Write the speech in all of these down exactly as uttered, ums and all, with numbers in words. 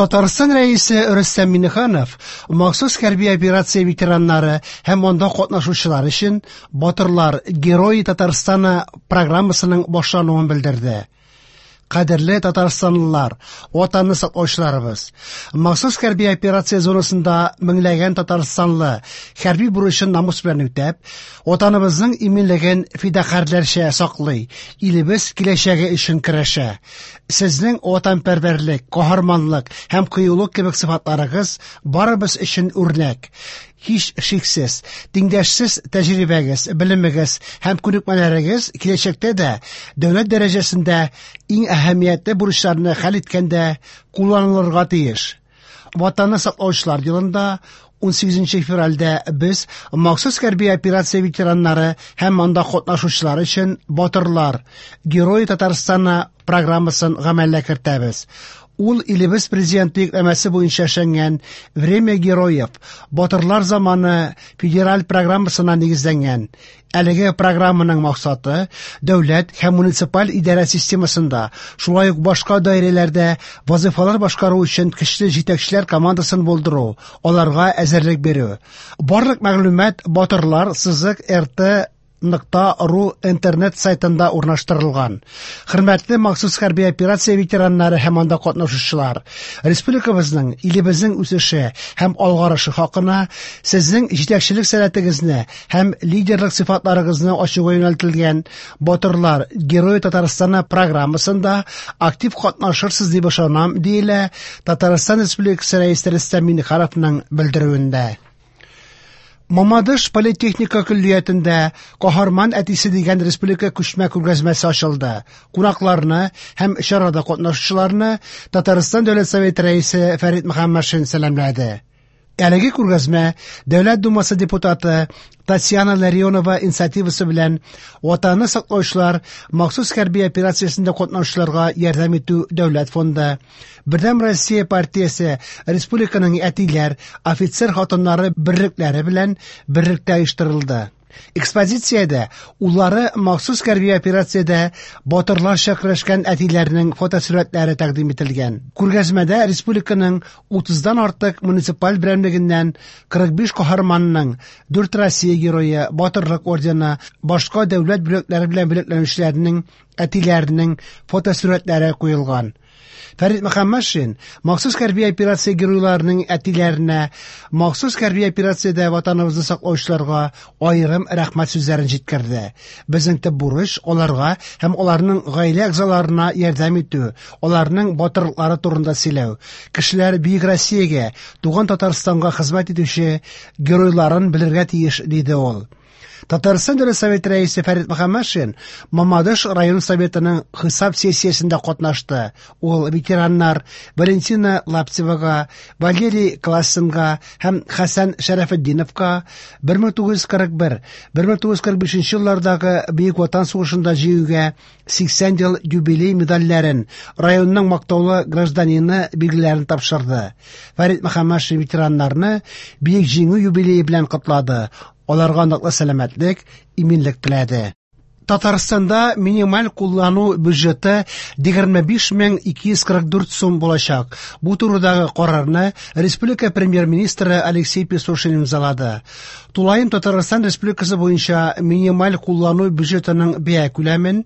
Татарстан Рәисе Рөстәм Миңнеханов махсус хәрби операция ветераннары һәм анда катнашучылар өчен «Батырлар Герои Татарстана» программасының башлануын белдерде. Кадерле татарстанлылар, Ватанны саклаучыларыбыз! Махсус хәрби операция зонасында меңләгән татарстанлы хәрби бурычын намус белән үтәп, Ватаныбызның иминлеген фидакарьләрчә саклый, илебез киләчәге өчен көрәшә. Сезнең ватанпәрвәрлек, каһарманлык һәм кыюлык кебек сыйфатларыгыз барыбыз өчен үрнәк. Һич шиксез, тиңдәшсез тәҗрибәгез, белемегез һәм күнекмәләрегез киләчәктә дә дәүләт дәрәҗәсендә иң әһәмиятле бурычларны хәл иткәндә кулланылырга тиеш. Ватанны саклаучылар елында унсигезенче февральдә без махсус хәрби операция ветераннары һәм анда катнашучылар өчен «Батырлар Герои Татарстана» программасын гамәлгә кертәбез. Ул илебез президенты йөкләмәсе буенча эшләнгән «Время героев» Батырлар заманы федераль программасына нигезләнгән. Әлеге программаның максаты дәүләт һәм муниципаль идарә системасында, шулай ук башка даирәләрдә вазифалар башкару өчен көчле җитәкчеләр командасын булдыру, аларга әзерлек бирү. Барлык мәгълүмат батырлар сызык р т нокта ру интернет сайтында урнаштырылган. Хөрмәтле махсус хәрби операция ветераннары һәм анда катнашучылар, республикабызның, илебезнең үсеше һәм алгарышы хакына сезнең җитәкчелек сәләтегезне һәм лидерлык сыйфатларыгызны ачуга юнәлтелгән «Батырлар Герои Татарстана» программасында актив катнашырсыз дип ышанам, диелә Татарстан Республикасы Рәисе Рөстәм Миңнехановның белдерүендә. Мамадыш политехника көллиятендә «Каһарман әтисе» дигән республика күчмә күргәзмәсе ачылды. Кунакларны һәм чарада катнашучыларны Татарстан Дәүләт Советы Рәисе Фәрит Мөхәммәтшин сәламләде. Әлеге күргәзмә Дәүләт Думасы депутаты Татьяна Ларионова инициативасы белән «Ватанны саклаучылар» махсус хәрби операциясендә катнашучыларга ярдәм итү дәүләт фонды, Бердәм Россия партиясе республиканың әтиләр, офицер хатыннары берлекләре белән берлектә оештырылды. Экспозициядә уллары махсус хәрби операциядә батырларча көрәшкән әтиләрнең фотосурәтләре тәкъдим ителгән. Күргәзмәдә республиканың утыздан артык муниципаль берәмлегеннән кырык биш каһарманның, дүрт Россия герое, Батырлык ордены, башка дәүләт бүләкләре белән бүләкләнүчеләрнең әтиләренең фотосурәтләре куелган. Фәрит Мөхәммәтшин махсус хәрби операция геройларының әтиләренә, махсус хәрби операциядә ватаныбызны саклаучыларга аерым рәхмәт сүзләрен җиткерде. Безнең төп бурыч аларга һәм аларның гаилә әгъзаларына ярдәм итү, аларның батырлыклары турында сөйләү. Кешеләр бөек Россиягә, туган Татарстанга хезмәт итүче геройларын белергә тиеш, диде ул. Татарстан Дәүләт Советы Рәисе Фәрит Мөхәммәтшин Мамадыш район советының хисап сессиясендә катнашты. Ул ветераннар Валентина Лаптевага, Валерий Классенга һәм Хәсән Шәрәфетдиновка бер мең тугыз йөз кырык бер, бер мең тугыз йөз кырык бишенче еллардагы Бөек Ватан сугышында җиңүгә сиксән ел юбилей медальләрен, районның мактаулы гражданины билгеләрен тапшырды. Фәрит Мөхәммәтшин ветераннарны Бөек Җиңү юбилее белән котлады. Аларга ныклы сәламәтлек, иминлек теләде. Татарстанда минималь куллану бюджеты егерме биш мең ике йөз кырык дүрт сум булачак. Бу турыдагы карарны республика премьер-министры Алексей Песошин имзалады. Тулаем Татарстан Республикасы буенча минималь куллану бюджетының бәя күләмен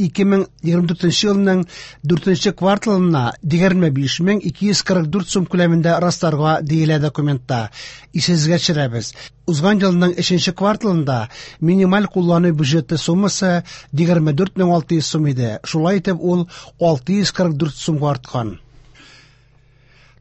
ике мең егерме дүртенче елның дүртенче кварталына егерме биш мең ике йөз кырык дүрт сум күләмендә расларга диелә документта. Исегезгә төшерәбез. Узган елның өченче кварталында минималь куллану бюджеты суммасы егерме дүрт мең алты йөз сум иде. Шулай итеп ул алты йөз кырык дүрт сумга арткан.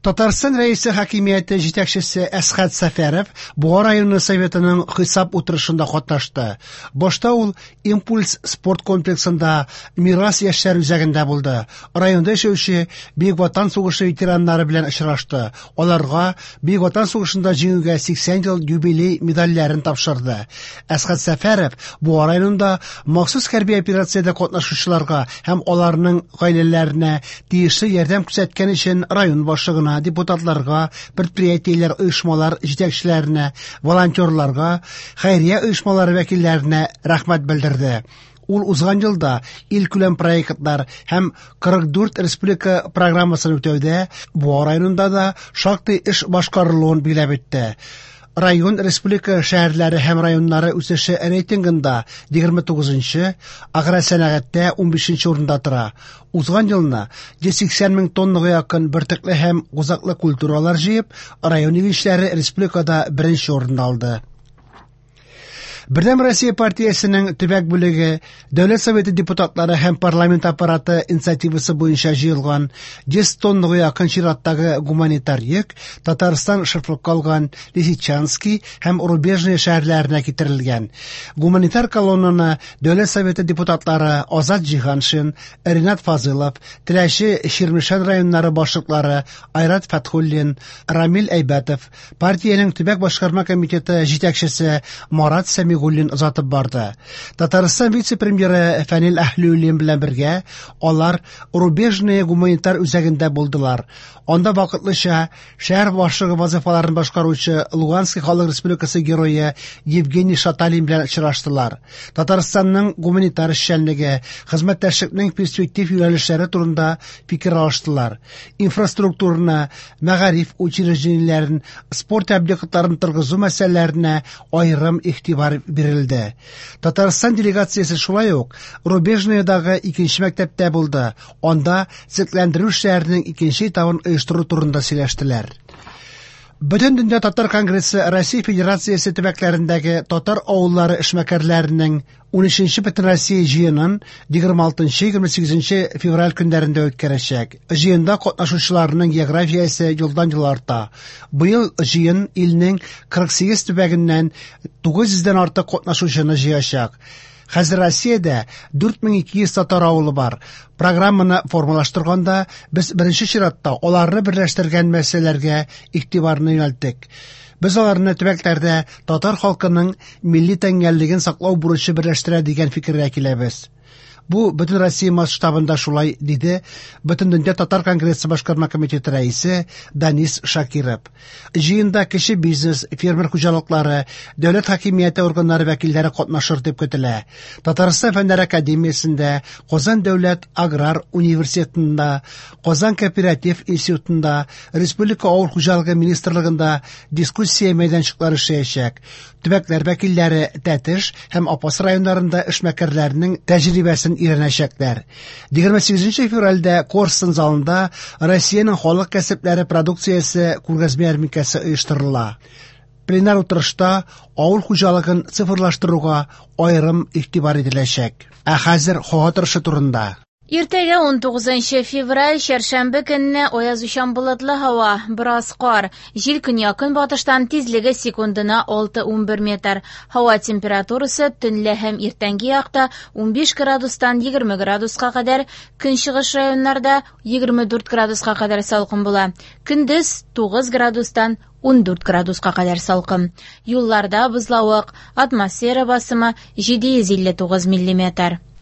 Татарстан Рәисе хакимияте җитәкчесе Әсхәт Сәфәров Буа районы советының хисап утырышында катнашты. Башта ул «Импульс» спорт комплексында «Мирас» яшьләр үзәгендә булды. Районда яшәүче Бөек Ватан сугышы ветераннары белән очрашты. Аларга Бөек Ватан сугышында җиңүгә сиксән ел юбилей медальләрен тапшырды. Әсхәт Сәфәров Буа районында махсус хәрби операциядә катнашучыларга һәм аларның гаиләләренә тиешле ярдәм күрсәткән өчен район башлыгына, депутатларга, предприятиеләр, оешмалар җитәкчеләренә, волонтерларга, хәйрия оешмалары вәкилләренә рәхмәт белдерде. Ул узган елда илкүләм проектлар һәм кырык дүрт республика программасын үтәүдә Буа районында да шактый эш башкарылуын билгеләп үтте. Район республика шәһәрләре һәм районнары үсеше рейтингында егерме тугызынчы, агросәнәгатьтә унбишенче урында тора. Узган елны йөз сиксән мең тоннага якын бөртекле һәм кузаклы культуралар җыеп, район игенчеләре республикада беренче урынны алды. Бердәм Россия партиясенең төбәк бүлеге, Дәүләт Советы депутатлары һәм парламент аппараты инициативасы буенча җыелган йөз тоннага якын чираттагы гуманитар йөк Татарстан шефлыкка алган Лисичанский һәм Рубежное шәһәрләренә китерелгән. Гуманитар колоннаны Дәүләт Советы депутатлары Азат Җиһаншин, Ринат Фазылов, Теләче, Чирмешән районнары башлыклары Айрат Фәтхуллин, Рамил Әйбәтов, партиянең төбәк башкарма комитеты җитәкчесе Марат Сәмигуллин озатып барды. Татарстан вице-премьеры Фәнил Әһлиуллин белән бергә алар Рубежное гуманитар үзәгендә булдылар. Анда вакытлыча шәһәр башлыгы вазифаларын башкаручы Луганский халык республикасы герое Евгений Шаталин белән очраштылар. Татарстанның гуманитар эшчәнлеге, хезмәттәшлекнең перспектив юнәлешләре турында фикер алыштылар. Инфраструктураны, мәгариф учреждениеләрен, спорт объектларын торгызу мәсьәләләренә аерым игътибар бирелде. Татарстан делегациясе шулай ук Рубежныйдагы икенче мәктәптә булды. Анда төзекләндерү эшләренең икенче этабын оештыру турында сөйләштеләр. Бөтендөнья татар конгрессы Россия Федерациясе төбәкләрендәге татар авыллары эшмәкәрләренең унөченче Бөтенроссия җыенын егерме алтынчы егерме сигезенче февраль көннәрендә үткәрәчәк. Җыенда катнашучыларның географиясе елдан-ел арта. Быел җыен илнең кырык сигез төбәгеннән тугыз йөздән артык катнашучыны җыячак. Хәзер Россиядә дүрт мең ике йөз татар авылы бар. Программаны формалаштырганда без беренче чиратта аларны берләштергән мәсьәләләргә игътибарны юнәлттек. Без аларны төбәкләрдә татар халкының милли тәңгәллеген саклау бурычы берләштерә дигән фикергә киләбез. Бу бөтен Россия масштабында шулай, диде Бөтендөнья татар конгрессы башкарма комитеты рәисе Данис Шакиров. Җыенда кече бизнес, фермер хуҗалыклары, дәүләт хакимияте органнары вәкилләре катнашыр дип көтелә. Татарстан Фәннәр академиясендә, Казан дәүләт аграр университетында, Казан кооператив институтында, Республика авыл хуҗалыгы министрлыгында дискуссия мәйданчыклары эшләячәк. Төбәкләр вәкилләре Тәтеш һәм Апас районнарында эшмәкәрләрнең тәҗрибәсен өйрәнәчәкләр. Егерме сигезенче февральдә Корстон залында Россиянең халык кәсепләре продукциясе күргәзмә ярминкәсе оештырыла. Пленар утырышта авыл хуҗалыгын цифрлаштыруга аерым игътибар ителәчәк. Ә хәзер һава торышы турында. Иртәгә ун тугызынчы февраль, чәршәмбе көнне аязучан болытлы һава, бераз кар, җил көньяк-көнбатыштан тизлеге секундына алты унбер метр. Һава температурасы төнлә һәм иртәнге якта унбиш градустан егерме градуска кадәр, көнчыгыш районнарда егерме дүрт градуска кадәр салкын була. Көндез тугыз градустан ундүрт градуска кадәр салкын. Юлларда бозлавык, атмосфера басымы җиде йөз илле тугыз миллиметр.